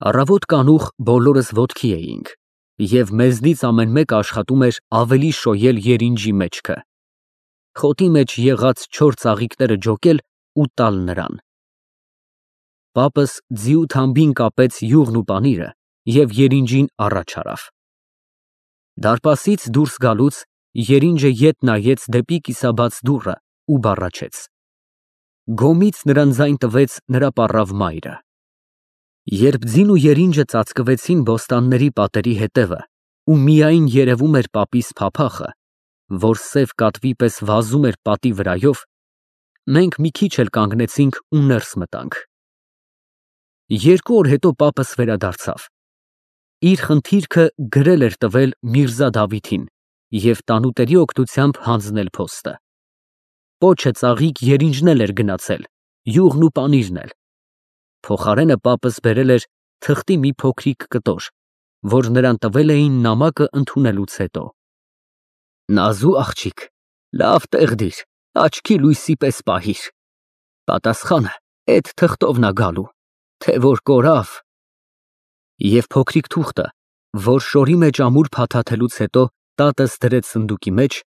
Առավոտ կանուխ բոլորս ոտքի էինք, և մեզնից ամեն մեկը աշխատում էր ավելի շոյել երինջի մեջքը, խոտի մեջ եղած 4 ծաղիկները ջոկել ու տալ նրան։ Պապս ձիու թամբին կապեց յուղն ու պանիրը և երինջին առաջ արավ։ Դարպասից դուրս գալուց երինջը ետ նայեց դեպի կիսաբաց դուռը ու բառաչեց։ Գոմից նրան ձայն տվեց նրա պառավ մայրը։ Երբ ձին ու երինջը ծածկվեցին բոստանների պատերի հետևը ու միայն երևում էր պապիս փափախը, որ սև կատվի պես վազում էր պատի վրայով, մենք մի քիչ էլ կանգնեցինք ու ներս մտանք։ 2 օր հետո պապս վերադարձավ։ Իր խնդիրքը գրել էր տվել Միրզա Դավիթին և տանուտերի օգնությամբ հանձնել փոստը։ Պոչը ծաղիկ երինջն էր գնացել, յուղն ու պանիրն էլ։ Փոխարենը պապս բերել էր թղթի մի փոքրիկ կտոր, որ նրան տվել էին նամակը ընդունելուց հետո։ Նազու աղջիկ, լավ տեղ դիր, աչքի լույսի պես պահիր։ Պատասխանը էդ թղթովն ա գալու, թե որ կորավ։ Եվ փոքրիկ թուղթը, որ շորի մեջ ամուր փաթաթելուց հետո տատս դրեց սնդուկի մեջ,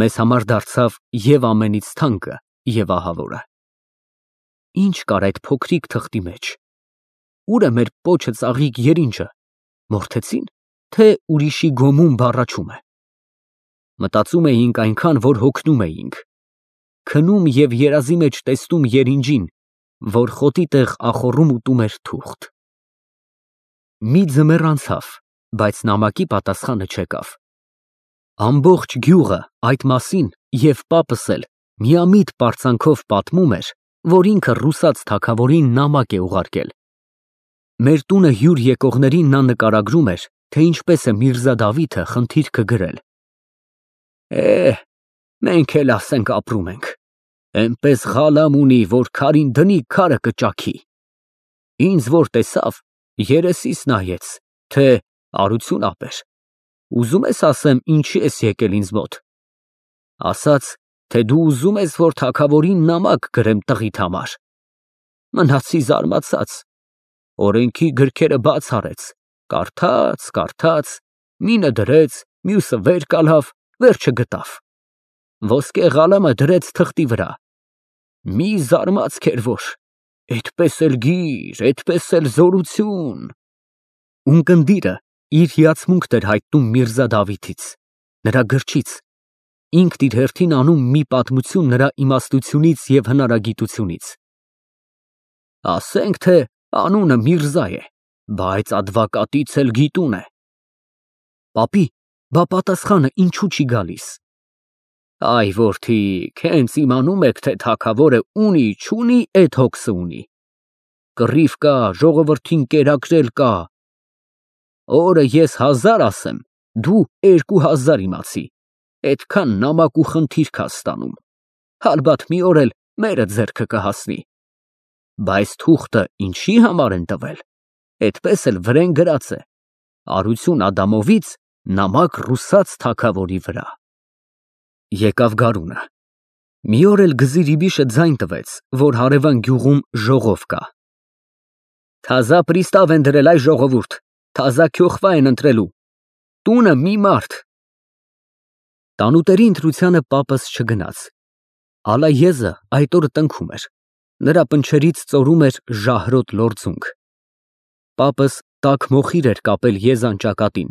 մեզ համար դարձավ և ամենից թանկը, և ահավորը։ Ինչ կար այդ փոքրիկ թղթի մեջ։ Ուր է մեր պոչը ծաղիկ երինջը, մորթեցի՞ն, թե ուրիշի գոմում բառաչում է։ Մտածում էինք այնքան, որ հոգնում էինք, քնում և երազի մեջ տեսնում երինջին, որ խոտի տեղ ախոռում ուտում էր թուղթ։ Մի ձմեռ անցավ, բայց նամակի պատասխանը չեկավ։ Ամբողջ գյուղը այդ մասին և պապս էլ միամիտ պարծանքով պատմում էր, որ ինքը ռուսաց թագավորին նամակ է ուղարկել։ Մեր տունը հյուր եկողներին նա նկարագրում էր, թե ինչպես է Միրզա Դավիթը խնդիրքը գրել։ Մենք էլ ասենք ապրում ենք, էնպես ղալամ ունի, որ քարին դնի, քարը կճաքի։ Ինձ որ տեսավ, երեսիս նայեց, թե արություն ապեր, ուզում ես ասեմ ինչի ես եկել ինձ մոտ։ Ասաց, թե դու ուզում ես, որ թագավորին նամակ գրեմ տղիդ համար։ Մնացի զարմացած, օրենքի գրքերը բաց արեց, կարդաց, մինը դրեց, մյուսը վեր կալավ, վերջը գտավ։ Ոսկե ղալամը դրեց թղթի վրա։ Մի զարմացք էր, որ էդպես էլ գիր, էդպես էլ զորություն։ Ունկնդիրը իր հիացմունքն էր հայտնում Միրզա Դավիթից, նրա գրչից, ինքն իր հերթին անում մի պատմություն նրա իմաստությունից և հնարագիտությունից։ Ասենք, թե անունը Միրզա է, բայց ադվակատից էլ գիտուն է։ Պապի, բա պատասխանը ինչու չի գալիս։ Այ որդիք, հենց իմանում եք, թե թագավորը ունի, չունի, էդ հոգսը ունի։ Կռիվ կա, ժողովրդին կերակրել կա։ Օրը ես 1000 ասեմ, դու 2000 իմացի, էդքան նամակ ու խնդիրք ես ստանում, հալբաթ մի օր էլ մերը ձեռքը կհասնի։ Բայց թուղթը ինչի համար են տվել, էդպես էլ վրեն գրած է, Արություն Ադամովից նամակ ռուսաց թագավորի վրա։ Եկավ գարունը։ Մի օր էլ Գզիրիբիշը ձայն տվեց, որ հարևան գյուղում ժողով կա։ Թազա պրիստավ են դրել, այ ժողովուրդ, թազա քյոխվա են ընտրելու, տունը մի մարդ։ Տանուտերի ընտրությանը պապս չգնաց։ Ալայեզը այդ օրը տնքում էր, նրա պնչերից ծորում էր ժահրոտ լորձունք։ Պապս տաք մոխիր էր կապել եզան ճակատին,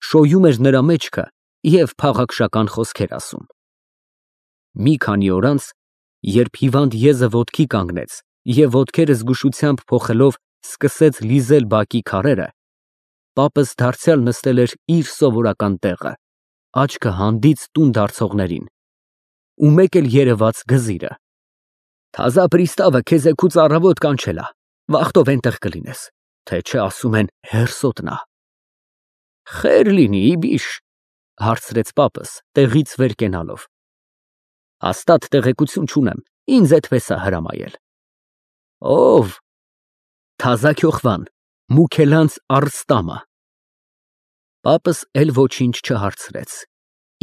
շոյում էր նրա մեջքը և փաղաքշական խոսքեր ասում։ Մի քանի օր անց, երբ հիվանդ եզը ոտքի կանգնեց և ոտքերը զգուշությամբ փոխելով սկսեց լիզել բակի քարերը, պապս դարձյալ նստել էր իր սովորական տեղը, աչքը հանդից տուն դարձողներին, ու մեկ էլ երևաց Գզիրը։ Թազա պրիստավը քեզ էգուց առավոտ կանչել ա, վախտով էնտեղ կլինես, թե չէ ասում են հերսոտնա։ Խեր լինի, իբիշ, հարցրեց պապս տեղից վեր կենալով։ Հաստատ տեղեկություն չունեմ, ինձ էդպես է հրամայել։ Ով։ Թազա քյոխվան, Մուքելանց Արստամը։ Պապս էլ ոչինչ չհարցրեց։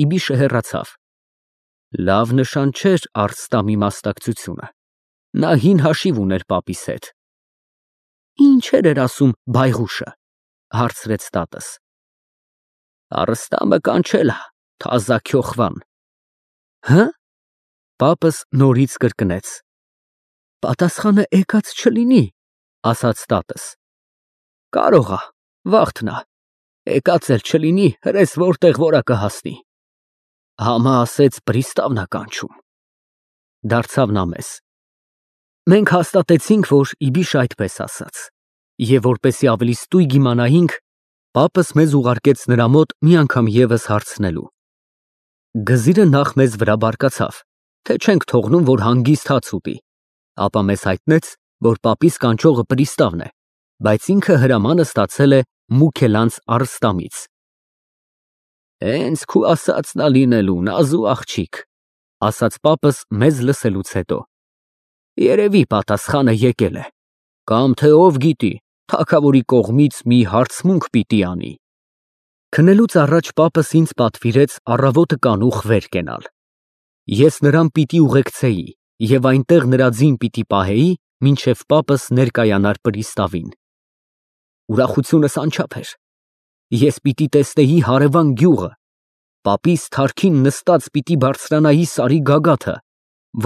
Իբիշը հեռացավ։ Լավ նշան չէր Արստամի մասնակցությունը։ Նա հին հաշիվ ուներ պապիս հետ։ Ինչ Ինչեր էր ասում բայղուշը, հարցրեց տատս։ Արստամը կանչելա, թազա քյոխվան։ Հը? Պապս նորից կրկնեց։ Պատասխանը եկած չլինի, ասաց տատս։ Կարող է, վաղթնա, եկած էլ չլինի, հրես որտեղ որա կհասնի։ Համա ասեց պրիստավնա կանչում։ Դարձավ նա մեզ։ Մենք հաստատեցինք, որ իբիշ այդպես ասաց, և որպեսի ավելի ստույգ իմանայինք, պապս մեզ ուղարկեց նրա մոտ մի անգամ ևս հարցնելու։ Գզիրը նախ մեզ վրա բարկացավ, թե չենք թողնում, որ հանգիստ հաց ուտի, ապա մեզ հայտնեց, որ պապիս կանչողը պրիստավն է, բայց ինքը հրամանը ստացել է Մուքելանց Արստամից։ Հենց քու ասածն ա լինելու, նազու աղջիկ, ասաց պապս մեզ լսելուց հետո։ Երևի պատասխանը եկել է, կամ թե ով գիտի, թագավորի կողմից մի հարցմունք պիտի անի։ Քնելուց առաջ պապս ինձ պատվիրեց առավոտը կանուխ վեր կենալ։ Ես նրան պիտի ուղեկցեի և այնտեղ նրա ձին պիտի պահեի, մինչև պապս ներկայանար պրիստավին։ Ուրախությունս անչափ էր։ Ես պիտի տեսնեի հարևան գյուղը, պապիս թարքին նստած պիտի բարձրանայի սարի գագաթը,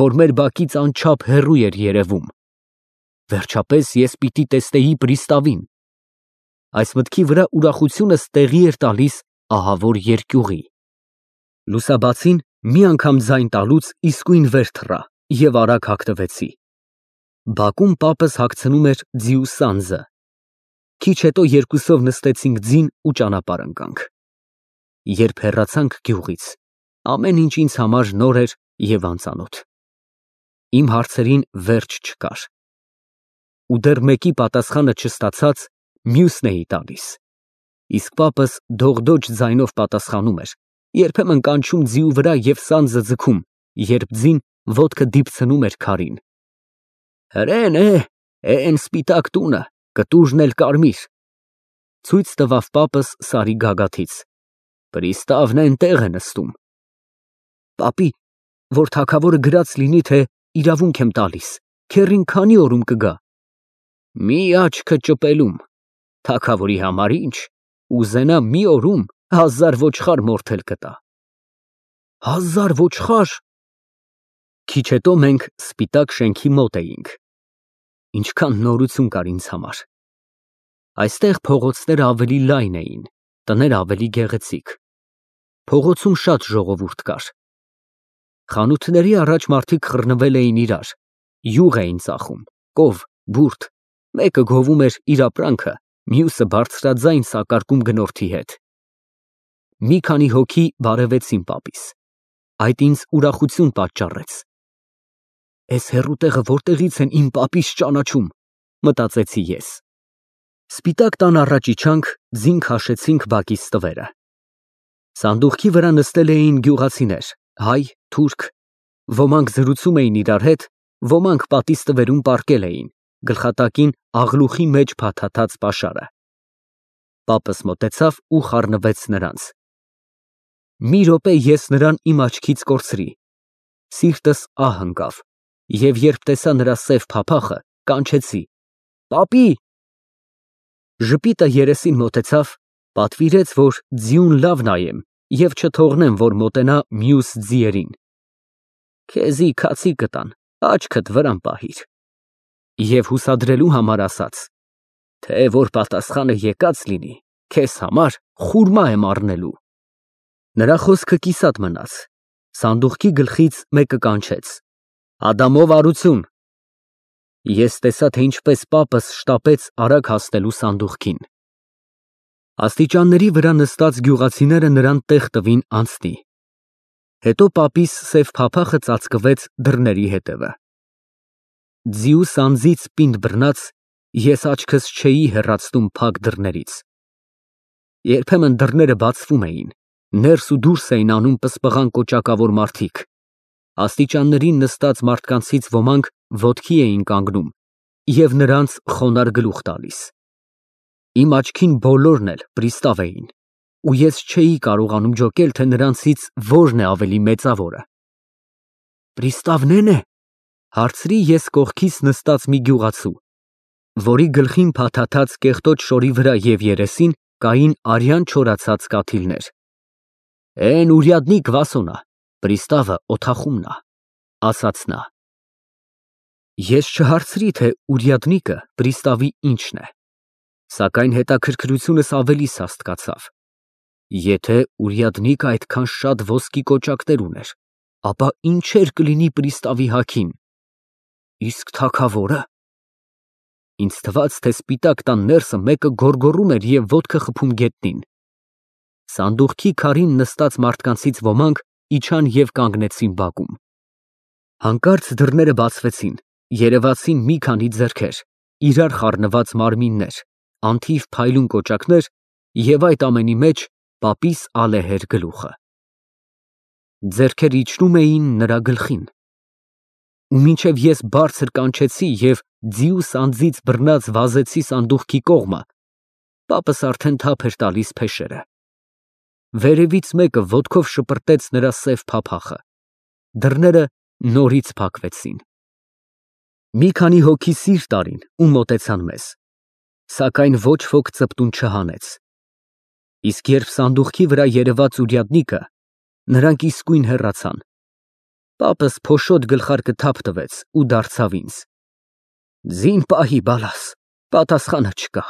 որ մեր բակից անչափ հեռու էր երևում։ Վերջապես ես պիտի տեսնեի պրիստավին։ Այս մտքի վրա ուրախությունս տեղի էր տալիս ահավոր երկյուղի։ Լուսաբացին մի անգամ ձայն տալուց իսկույն վեր թռա և արագ հագնվեցի։ Բակում պապս հագցնում էր ձիու սանձը։ Քիչ հետո երկուսով նստեցինք ձին ու ճանապարհ ընկանք։ Երբ հեռացանք գյուղից, ամեն ինչ ինձ համար նոր էր և անծանոթ։ Իմ հարցերին վերջ չկար։ Ու դեռ մեկի պատասխանը չստացած, մյուսն էի տալիս։ Իսկ պապս դողդոջ ձայնով պատասխանում էր, երբեմն կանչում ձիու վրա և սանձը ձգում, երբ ձին ոտքը դիպցնում էր քարին։ Հրեն է, էն սպիտակ տունը, կտուժն էլ կարմիր։ Ցույց տվավ պապս սարի գագաթից։ Պրիստավն էնտեղ է նստում։ Պապի, որ թագավորը գրած լինի, թե իրավունք եմ տալիս, քեռին քանի օրում կգա։ Մի աչքը ճպելում, թագավորի համար ինչ, ուզենա մի օրում 1000 ոչխար մորթել կտա։ 1000 ոչխար։ Քիչ հետո մենք սպիտակ շենքի մոտ էինք։ Ինչքան նորություն կար ինձ համար։ Այստեղ փողոցները ավելի լայն էին, տները ավելի գեղեցիկ։ Փողոցում շատ ժողովուրդ կար։ Խանութների առաջ մարդիկ խռնվել էին իրար, յուղ էին ծախում, կով, բուրդ, մեկը գովում էր իր ապրանքը, մյուսը բարձրաձայն սակարկում գնորդի հետ։ Մի քանի հոգի բարևեցին պապիս։ Այդ ինձ ուրախություն պատճառեց։ Էս հեռու տեղը որտեղից են իմ պապիս ճանաչում, մտածեցի ես։ Սպիտակ տան առաջ իջանք, ձին քաշեցինք բակից տվերը։ Սանդուղքի վրա նստել էին գյուղացիներ, հայ, թուրք, ոմանք զրուցում էին իրար հետ, ոմանք պատից տվերում պառկել էին, գլխատակին աղլուխի մեջ փաթաթած պաշարը։ Պապս մոտեցավ ու խառնվեց նրանց։ Մի րոպե ես նրան իմ աչքից կորցրի։ Սիրտս ահ ընկավ, և երբ տեսա նրա սև փափախը, կանչեցի. Պապի։ Ժպիտը երեսին մոտեցավ, պատվիրեց, որ ձիուն լավ նայեմ և չթողնեմ, որ մոտենա մյուս ձիերին։ Քեզի քացի կտան, աչքդ վրան պահիր։ Եվ հուսադրելու համար ասաց. թե որ պատասխանը եկած լինի, քեզ համար խուրմա եմ առնելու։ Նրա խոսքը կիսատ մնաց։ Սանդուղքի գլխից մեկը կանչեց. Ադամով արություն։ Ես տեսա, թե ինչպես պապս շտապեց արագ հասնելու սանդուղքին։ Աստիճանների վրա նստած գյուղացիները նրան տեղ տվին անցնի։ Հետո պապիս սև փափախը ծածկվեց դռների հետևը։ Ձիու սանձից պինդ բռնած, ես աչքս չէի հեռացնում փակ դռներից։ Երբեմն դռները բացվում էին, ներս ու դուրս էին անում պսպղան կոճակավոր մարդիկ։ Աստիճաններին նստած մարդկանցից ոմանք ոտքի էին կանգնում և նրանց խոնարհ գլուխ տալիս։ Իմ աչքին բոլորն էլ պրիստավ էին, ու ես չէի կարողանում ջոկել, թե նրանցից որն է ավելի մեծավորը։ Պրիստավն է՞ն է, հարցրի ես կողքիս նստած մի գյուղացու։ որի գլխին փաթաթած կեղտոտ շորի վրա և երեսին կային արյան չորացած կաթիլներ։ «Էն ուրյադնիկ Վասոնա, պրիստավը օթախումն ա», ասաց նա։ Ես չհարցրի, թե ուրյադնիկը պրիստավի ինչն է, սակայն հետաքրքրությունս ավելի սաստկացավ։ Եթե ուրյադնիկը այդքան շատ ոսկի կոճակներ ուներ, ապա ինչեր կլինի պրիստավի հագին։ Իսկ թագավորը։ Ինձ թվաց, թե սպիտակ տան ներսը մեկը գոռգոռում էր և ոտքը խփում գետնին։ Սանդուղքի քարին նստած մարդկանցից ոմանք իջան և կանգնեցին բակում։ Հանկարծ դռները բացվեցին, երևացին մի քանի ձեռքեր, իրար խառնված մարմիններ, անթիվ փայլուն կոճակներ և այդ ամենի մեջ պապիս ալեհեր գլուխը։ Ձեռքեր իջնում էին նրա գլխին։ Ու մինչև ես բարձր կանչեցի և ձիուս անձից բռնած վազեցի սանդուղքի կողմը, պապս արդեն թափ էր տալիս փեշերը։ Վերևից մեկը ոտքով շպրտեց նրա սև փափախը։ Դռները նորից փակվեցին։ Մի քանի հոգի սիրտ արին ու մոտեցան մեզ, սակայն ոչ ոք ծպտուն չհանեց։ Իսկ երբ սանդուղքի վրա երևաց ուրյադնիկը, նրանք իսկույն հեռացան։ Պապս փոշոտ գլխարկը թափ տվեց ու դարձավ ինձ. «Ձին պահի, բալաս, պատասխանը չկա»։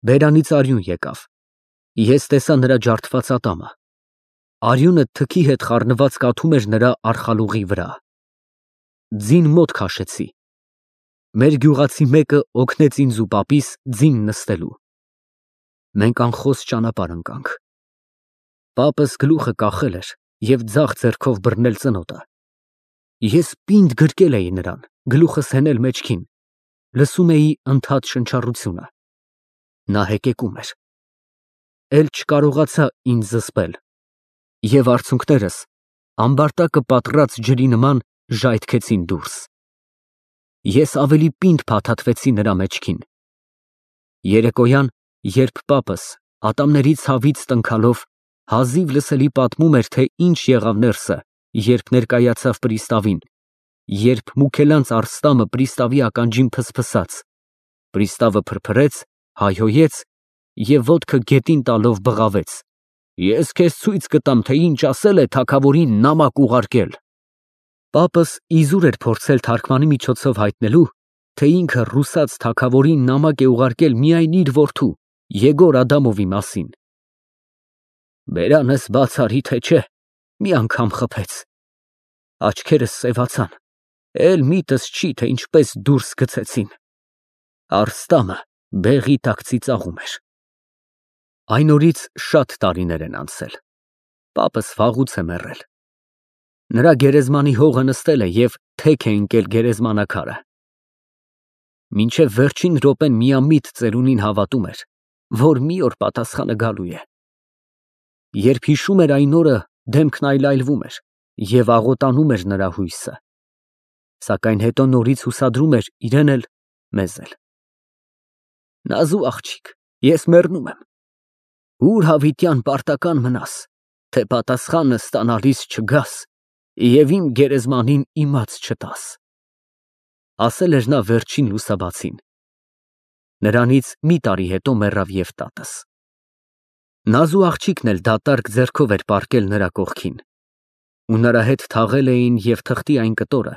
Բերանից արյուն եկավ։ Ես տեսա նրա ջարդված ատամը։ Արյունը թքի հետ խառնված կաթում էր նրա արխալուղի վրա։ Ձին մոտ քաշեցի։ Մեր գյուղացի մեկը օգնեց ինձ ու պապիս ձին նստելու։ Մենք անխոս ճանապարհ ընկանք։ Պապս գլուխը կախել էր և ձախ ձեռքով բռնել ծնոտը։ Ես պինդ գրկել էի նրան, գլուխս հենել մեջքին, լսում էի ընդհատ շնչառությունը։ Նա հեկեկում էր։ Էլ չկարողացա ինձ զսպել, և արցունքներս ամբարտակը պատռած ջրի նման ժայթքեցին դուրս։ Ես ավելի պինդ փաթաթվեցի նրա մեջքին։ Երեկոյան, երբ պապս ատամների ցավից տնքալով հազիվ լսելի պատմում էր, թե ինչ եղավ ներսը, երբ ներկայացավ պրիստավին, երբ Մուքելանց Արստամը պրիստավի ականջին փսփսաց, պրիստավը փրփրեց, հայհոյեց և ոտքը գետին տալով բղավեց. «Ես քեզ ցույց կտամ, թե ինչ ասել է թագավորին նամակ ուղարկել»։ Պապս իզուր էր փորձել թարգմանի միջոցով հայտնելու, թե ինքը ռուսաց թագավորին նամակ է ուղարկել միայն իր որդու Եգոր Ադամովի մասին։ Բերանս բաց արի, թե չէ, մի անգամ խփեց։ Աչքերս սևացան, էլ միտս չի, թե ինչպես դուրս գցեցին։ Արստամը բեղի տակ ծիծաղում էր։ Այն օրից շատ տարիներ են անցել։ Պապս վաղուց է մեռել։ Նրա գերեզմանի հողը նստել է և թեք է ընկել գերեզմանակարը։ Մինչև վերջին րոպեն միամիտ ծերունին հավատում էր, որ մի օր պատասխանը գալու է։ Երբ հիշում էր այն օրը, դեմքն այլայլվում էր և աղոտանում էր նրա հույսը։ Սակայն հետո նորից հուսադրում էր իրեն էլ, մեզ էլ։ Նազու աղջիկ, ես մեռնում եմ։ Ուր հավիտյան պարտական մնաս, թե պատասխանը ստանալիս չգաս և իմ գերեզմանին իմաց չտաս, ասել էր նա վերջին լուսաբացին։ Նրանից մի տարի հետո մեռավ և տատս։ Նազու աղջիկն էլ դատարկ ձեռքով էր պառկել նրա կողքին, ու նրա հետ թաղել էին և թղթի այն կտորը,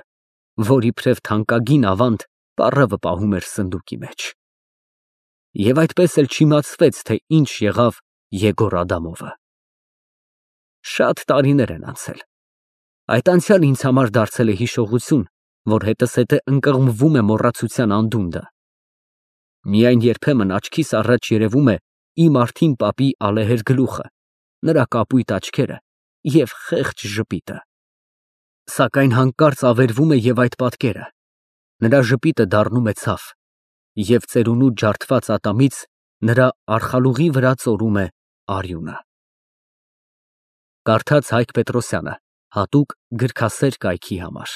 որ իբրև թանկագին ավանդ պառավը պահում էր սնդուկի մեջ։ Եվ այդպես էլ չիմացվեց, թե ինչ եղավ Եգոր Ադամովը։ Շատ տարիներ են անցել։ Այդ անցյալը ինձ համար դարձել է հիշողություն, որ հետզհետե ընկղմվում է մոռացության անդունդը։ Միայն երբեմն աչքիս առաջ երևում է իմ արթին պապի ալեհեր գլուխը, նրա կապույտ աչքերը և խեղճ ժպիտը։ Սակայն հանկարծ ավերվում է և այդ պատկերը, նրա ժպիտը դառնում է ցավ, և ծերունու ջարդված ատամից նրա արխալուղի վրա ծորում է արյունը։ Կարդաց Հայկ Պետրոսյանը, հատուկ գրքասեր կայքի համար։